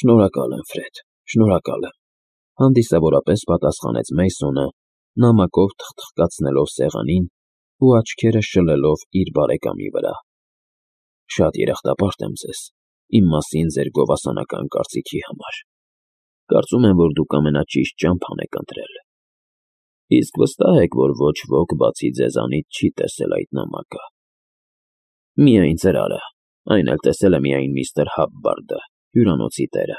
Շնորհակալ եմ, Ֆրեդ, շնորհակալ եմ, հանդիսավորապես պատասխանեց Մեյսոնը, նամակով թխթխկացնելով սեղանին ու աչքերը շլելով իր բարեկամի վրա։ Շատ երախտապարտ եմ ձեզ, իմ մասին ձեր գովասանական կարծիքի համար։ Կարծում եմ, որ դուք ամենաճիշտ ճամփան եք ընտրել։ Իսկ վստահ եք, որ ոչ ոք բացի ձեզանից չի տեսել այդ նամակը։ Միայն ծրարը, այն էլ տեսել է միայն միստր Հաբբարդը, հյուրանոցի տերը։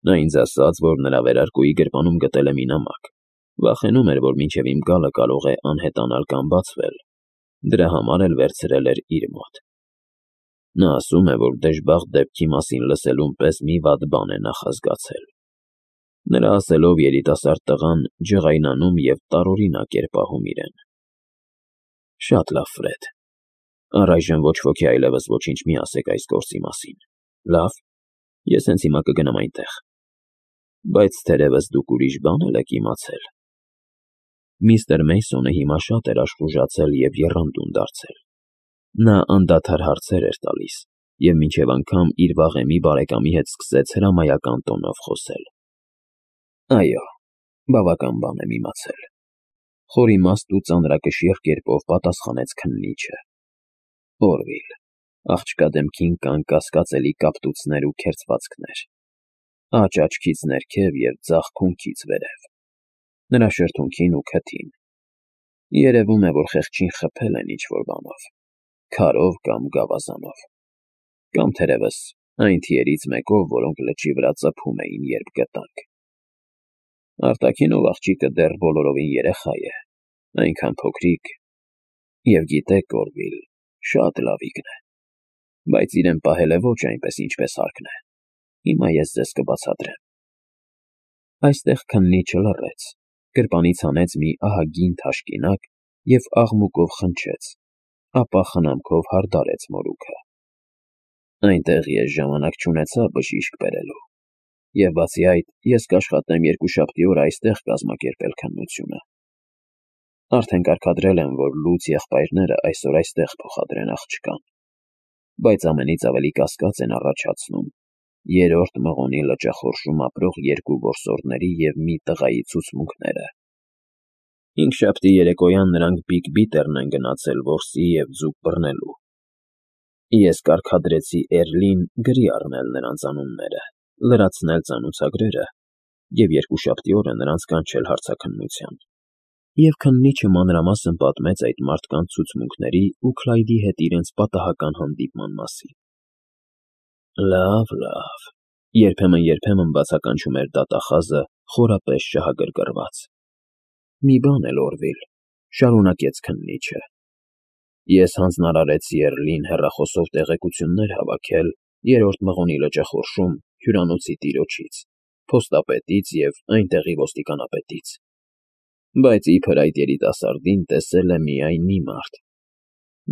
Նա ինձ ասաց, որ նրա վերարկուի գրպանում գտել է մի նամակ, վախենում էր, որ մինչև իմ գալը կարող է անհետանալ կամ բացվել, դրա համար էլ վերցրել էր իր մոտ։ Նա ասում է, որ դժբախտ դեպքի մասին լսելուն պես մի վատ բան է նախազգացել։ Նրա ասելով երիտասարդ տղան ջղայնանում և տարօրինակ էր պահում իրեն։ Շատ լավ, Ֆրեդ, առայժմ ոչ ոքի այլևս ոչինչ մի ասեք այս գործի մասին, լավ, ես հենց հիմա կգնամ այնտեղ, բայց թերևս դուք ուրիշ բան էլ եք իմացել։ Միստր Մեյսոնը հիմա շատ էր աշխուժացել և եռանդուն դարձել։ Նա անդադար հարցեր էր տալիս և մինչև անգամ իր վաղեմի բարեկամի հետ սկսեց հրամայական տոնով խոսել։ Այո, բավական բան եմ իմացել, խորիմաստ ու ծանրակշիռ կերպով պատասխանեց քննիչը։ Օրվիլ, աղջկա դեմքին կան կասկածելի կապտուցներ ու քերծվածքներ, աջ աչքից ներքև և ձախ քունքից վերև, նրա շրթունքին ու քթին։ Երևում է, որ խեղճին խփել են ինչ-որ բանով, քարով կամ գավազանով, կամ թերևս այն թիերից մեկով, որոնք լճի վրա ծփում էին, երբ գտանք։ Արտաքինով աղջիկը դեռ բոլորովին երեխա է, այնքան փոքրիկ, և գիտեք, Օրվիլ, շատ լավիկն է, բայց իրեն պահել է ոչ այնպես, ինչպես հարկն է։ Հիմա ես ձեզ կբացատրեմ։ Այստեղ քննիչը լռեց, գրպանից հանեց մի ահագին թաշկինակ և աղմուկով խնջեց, ապա խնամքով հարդարեց մորուքը։ Այնտեղ ես ժամանակ չունեցա բժիշկ բերելու, և բացի այդ, ես կաշխատեմ երկուշաբթի օր այստեղ կազմակերպել քննությունը։ Արդեն կարգադրել եմ, որ լուծ եղբայրները այսօր այստեղ փոխադրեն աղջկան, բայց ամենից ավելի կասկած են առաջացնում երրորդ մղոնի լճախորշում ապրող երկու որսորդների և մի տղայի ցուցմունքները։ Հինգշաբթի երեկոյան նրանք Բիգ Բիթեռն են գնացել որսի և ձուկ բռնելու։ Ես կարգադրեցի Էռլին գրի առնել նրանց անունները, լրացնել ծանոթագրերը և երկուշաբթի օրը նրանց կանչել հարցաքննության։ Եվ քննիչը մանրամասն պատմեց այդ մարդկանց ցուցմունքների ու Քլայդի հետ իրենց պատահական հանդիպման մասին։ Լավ, լավ, երբեմն բացականչում էր դատախազը խորապես շահագրգռված։ Մի բան էլ, Օրվիլ, շարունակեց քննիչը, ես հանձնարարեցի Էռլին հեռախոսով տեղեկություններ հավաքել երրորդ մղոնի լճախորշում հյուրանոցի տիրոջից, փոստապետից և այնտեղի ոստիկանապետից, բայց իբր այդ երիտասարդին տեսել է միայն մի մարդ։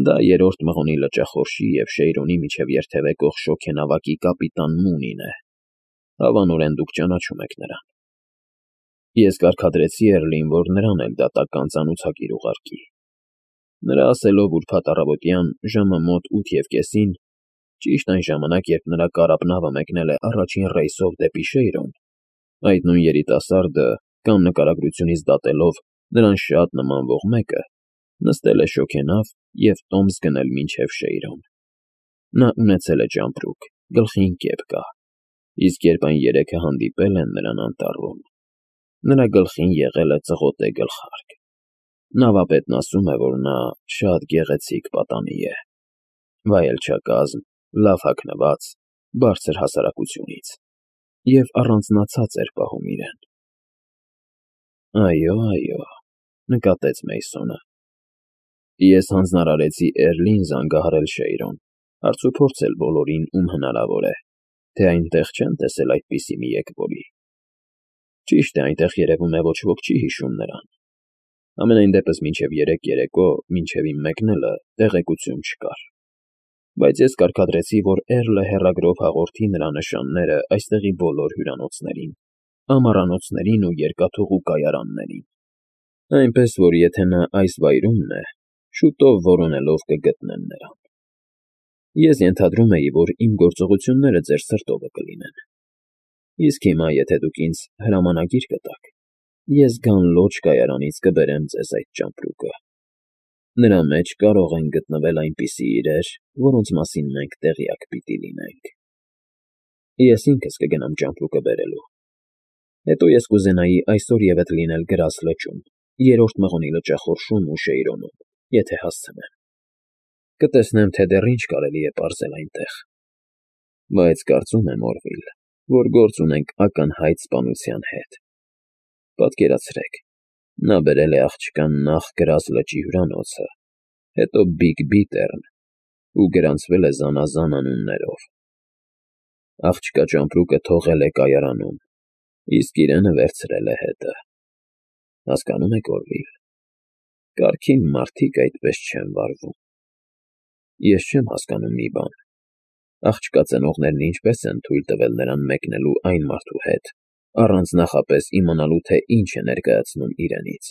Դա երրորդ մղոնի լճախորշի և Շեյրոնի միջև երթևեկող շոգենավակի կապիտան Մունին է։ Հավանորեն դուք ճանաչում եք նրան։ Ես կարգադրեցի Էռլին, որ նրան էլ դատական ծանոթագիր ուղարկի։ Նրա ասելով ուրբաթ առավոտյան ժամը մոտ 8:30, ճիշտ այն ժամանակ, երբ նրա կարապնավը մեկնել է առաջին ռեյսով դեպի Շեյրոն, այդ նույն երիտասարդը, կամ նկարագրությունից դատելով նրան շատ նմանվող մեկը, նստել է շոգենավ և տոմս գնել մինչև Շեյրոն։ Նա ունեցել է ճամպրուկ, գլխին կեպ կա, իսկ երբ այն երեքը հանդիպել են նրան անտառում, նրա գլխին եղել է ծղոտե գլխարկ։ Նավապետն ասում է, որ նա շատ գեղեցիկ պատանի է, վայելչակազմ, լավ հագնված, բարձր հասարակությունից, և առանձնացած էր պահում իրեն։ Այո, այո, նկատեց Մեյսոնը։ Ես հանձնարարեցի Էռլին զանգահարել Շեյրոն, հարցուփորձել բոլորին, ում հնարավոր է, թե այնտեղ չեն տեսել այդպիսի մի եկվորի։ Ճիշտ է, այնտեղ երևում է ոչ ոք չի հիշում նրան։ Համենայն դեպս մինչև երեկո, մինչև իմ մեկնելը, տեղեկություն չկար։ Բայց ես կարգադրեցի, որ Էռլը հեռագրով հաղորդի նրա նշանները այստեղի բոլոր հյուրանոցներին, ամառանոցներին ու երկաթուղու կայարաններին, այնպես որ եթե նա այս վայրումն է, շուտով որոնելով կգտնեն նրան։ Ես ենթադրում էի, որ իմ գործողությունները ձեր սրտովը կլինեն։ Իսկ հիմա, եթե դուք ինձ հրամանագիր կտաք, ես Գանլոջ կայարանից կբերեմ ձեզ այդ ճամպրուկը։ Նրա մեջ կարող են գտնվել այնպիսի իրեր, որոնց մասին մենք տեղյակ պիտի լինենք։ Ես ինքս կգնամ ճամպրուկը բերելու։ Հետո ես կուզենայի այսօր ևեթ լինել Գրաս լճում, երրորդ մղոնի լճախորշում ու Շեյրոնում, եթե հասցնեմ։ Կտեսնեմ, թե դեռ ինչ կարելի է պարզել այնտեղ։ Բայց կարծում եմ, Օրվիլ, որ գործ ունենք ակնհայտ սպանության հետ։ Պատկերացրեք, նա բերել է աղջկան նախ Գրաս լճի հյուրանոցը, հետո Բիգ Բիտեռն ու գրանցվել է զանազան անուններով։ Աղջկա ճամպրուկը թողել է կայարանում, իսկ իրենը վերցրել է հետը։ Հասկանում եք, Օրվիլ, կարգին մարդիկ այդպես չեն վարվում։ Ես չեմ հասկանում մի բան. աղջկա ծնողներն ինչպես են թույլ տվել նրան մեկնելու այն մարդու հետ, առանց նախապես իմանալու, թե ինչ է ներկայացնում իրենից։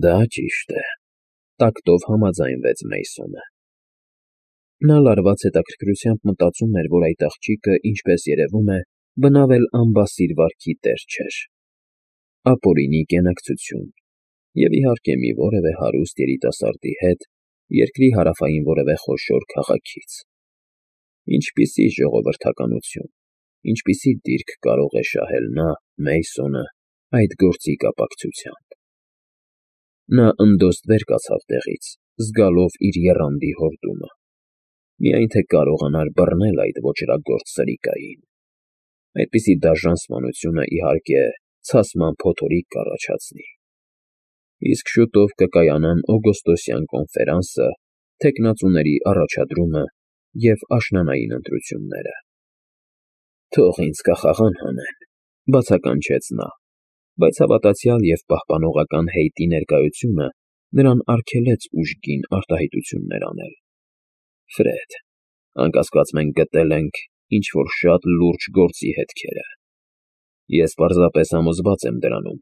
Դա ճիշտ է, տակտով համաձայնվեց Մեյսոնը։ Նա լարված հետաքրքրությամբ մտածում էր, որ այդ աղջիկը, ինչպես երևում է, բնավ էլ անբասիր վարքի տեր չէր։ Ապօրինի կենակցություն և, իհարկե, մի որևէ հարուստ երիտասարդի հետ երկրի հարավային որևէ խոշոր քաղաքից։ Ինչպիսի ժողովրդականություն, ինչպիսի դիրք կարող է շահել նա, Մեյսոնը, այդ գործի կապակցությամբ։ Նա ընդոստ վեր կացավ տեղից, զգալով իր եռանդի հորդումը, միայն թե կարողանար բռնել այդ ոճրագործ սրիկային։ Այդպիսի դաժան սպանությունը, իհարկե, ցասման փոթորիկ կառաջացնի։ Իսկ շուտով կկայանան օգոստոսյան կոնֆերանսը, թեկնածուների առաջադրումը և աշնանային ընտրությունները։ Թող ինձ կախաղան հանեն, բացականչեց նա, բայց հավատացյալ և պահպանողական հեյտի ներկայությունը նրան արգելեց ուժգին արտահայտություններ անել։ Ֆրեդ, անկասկած մենք գտել ենք ինչ֊որ շատ լուրջ գործի հետքերը։ Ես պարզապես համոզված եմ դրանում։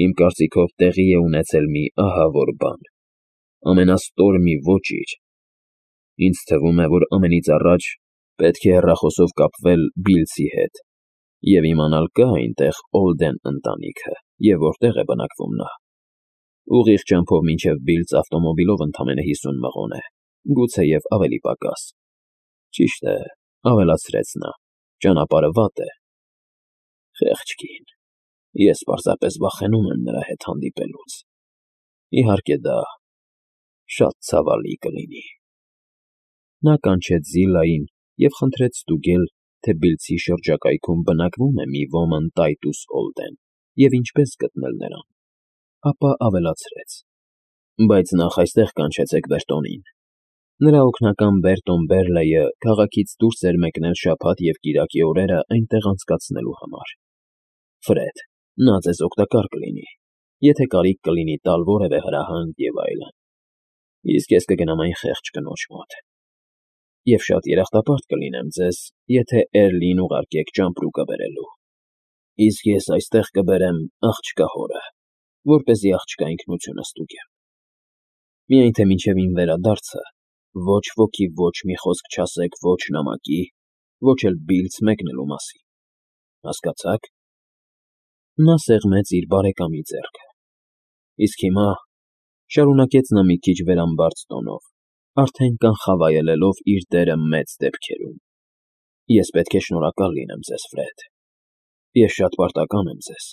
Իմ կարծիքով տեղի է ունեցել մի ահավոր բան, ամենաստոր մի ոճիր։ Ինձ թվում է, որ ամենից առաջ պետք է հեռախոսով կապվել Բիլսի հետ և իմանալ կա այնտեղ Օլդեն ընտանիքը և որտեղ է բնակվում նա։ Ուղիղ ճամփով մինչև Բիլձ ավտոմոբիլով ընդամենը 50 մղոն է, գուցեև ավելի պակաս։ Ճիշտ է, ավելացրեց նա, ճանապարհը վատ է։ Խեղճ կին, ես պարզապես վախենում եմ նրա հետ հանդիպելուց։ Իհարկե դա շատ ցավալի կլինի։ Նա կանչեց Զիլային և խնդրեց ստուգել, թե Բիլձի շրջակայքում բնակվում է մի ոմն Տայտուս Օլդեն և ինչպես գտնել նրան, ապա ավելացրեց. բայց նախ այստեղ կանչեցեք Բերտոնին։ Նրա օգնական Բերտոն Բերլեյը քաղաքից դուրս էր մեկնել շաբաթ և կիրակի օրերը այնտեղ անցկացնելու համար։ Ֆրեդ, նա ձեզ օգտակար կլինի, եթե կարիք կլինի տալ որևէ հրահանգ և այլն։ Իսկ ես կգնամ այն խեղճ կնոջ մոտ։ Եվ շատ երախտապարտ կլինեմ ձեզ, եթե Էրլիին ուղարկեք ճամպրուկը բերելու։ Իսկ ես այստեղ կբերեմ աղջկա հորը, որպեսզի աղջկա ինքնությունը ստուգեմ։ Միայն թե մինչև իմ վերադարձը ոչ ոքի ոչ մի խոսք չասեք ոչ նամակի, ոչ էլ Բիլձ մեկնելու մասին։ Հասկացա՞ք։ Նա սեղմեց իր բարեկամի ձեռքը։ Իսկ հիմա, շարունակեց նա մի քիչ վերամբարձ տոնով, արդեն կանխավայելելով իր դերը մեծ դեպքերում, ես պետք է շնորհակալ լինեմ ձեզ, Ֆրեդ։ Ես շատ պարտական եմ ձեզ։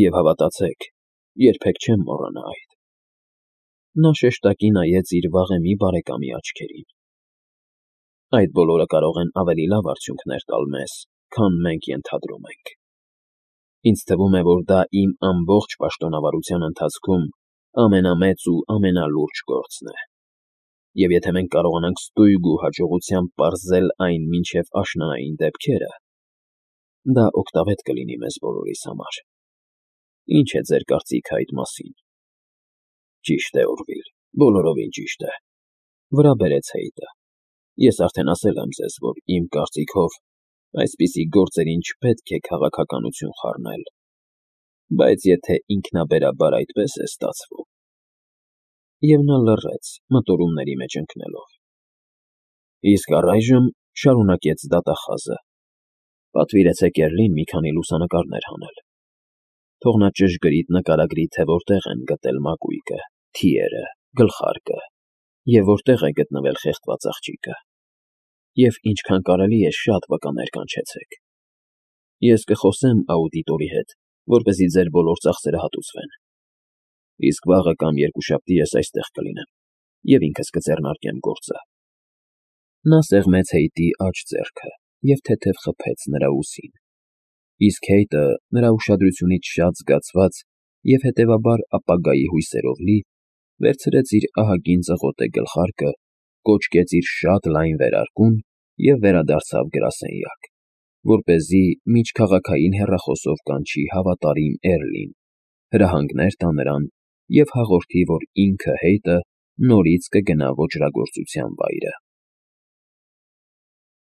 Եվ հավատացեք, երբեք չեմ մոռանա այդ։ Նա շեշտակի նայեց իր վաղեմի բարեկամի աչքերին։ Այդ բոլորը կարող են ավելի լավ արդյունքներ տալ մեզ, քան մենք ենթադրում ենք։ Ինձ թվում է, որ դա իմ ամբողջ պաշտոնավարության ընթացքում ամենամեծ ու ամենալուրջ գործն է։ Եվ եթե մենք կարողանանք ստույգ ու հաջողությամբ պարզել այն մինչև աշնանային դեպքերը, դա օգտավետ կլինի մեզ բոլորիս համար։ Ինչ է ձեր կարծիքը այդ մասին։ Ճիշտ է, Օրվիլ, բոլորովին ճիշտ է, վրա բերեց Հեյտը։ Ես արդեն ասել եմ ձեզ, որ իմ կարծիքով այսպիսի գործերին չպետք է քաղաքականություն խառնել, բայց եթե ինքնաբերաբար այդպես է ստացվում… Եվ նա լռեց, մտորումների մեջ ընկնելով։ Իսկ առայժմ, շարունակեց դատախազը, Պատվիրեցեք Էրլին մի քանի լուսանկարներ հանել։ Թող նա ճշգրիտ նկարագրի, թե որտեղ են գտել մակույկը, թիերը, գլխարկը և որտեղ է գտնվել խեղդված աղջիկը։ Եվ ինչքան կարելի է շատ վկաներ կանչեցեք։ Ես կխոսեմ աուդիտորի հետ, որպեսզի ձեր բոլոր ծախսերը հատուցվեն։ Իսկ վաղը կամ երկուշաբթի ես այստեղ կլինեմ և ինքս կձեռնարկեմ գործը։ Նա սեղմեց Հեյթի աջ ձեռքը և թեթև խփեց նրա ուսին, իսկ Հեյթը, նրա ուշադրությունից շատ զգացված և հետևաբար ապագայի հույսերով լի, վերցրեց իր ահագին ծղոտե գլխարկը, կոչկեց իր շատ լայն վերարկուն և վերադարձավ գրասենյակ, որպեսզի միջքաղաքային հեռախոսով կանչի հավատարիմ Էրլին, հրահանգներ տա նրան և հաղորդի, որ ինքը՝ Հեյթը, նորից կգնա ոճրագործության վայրը։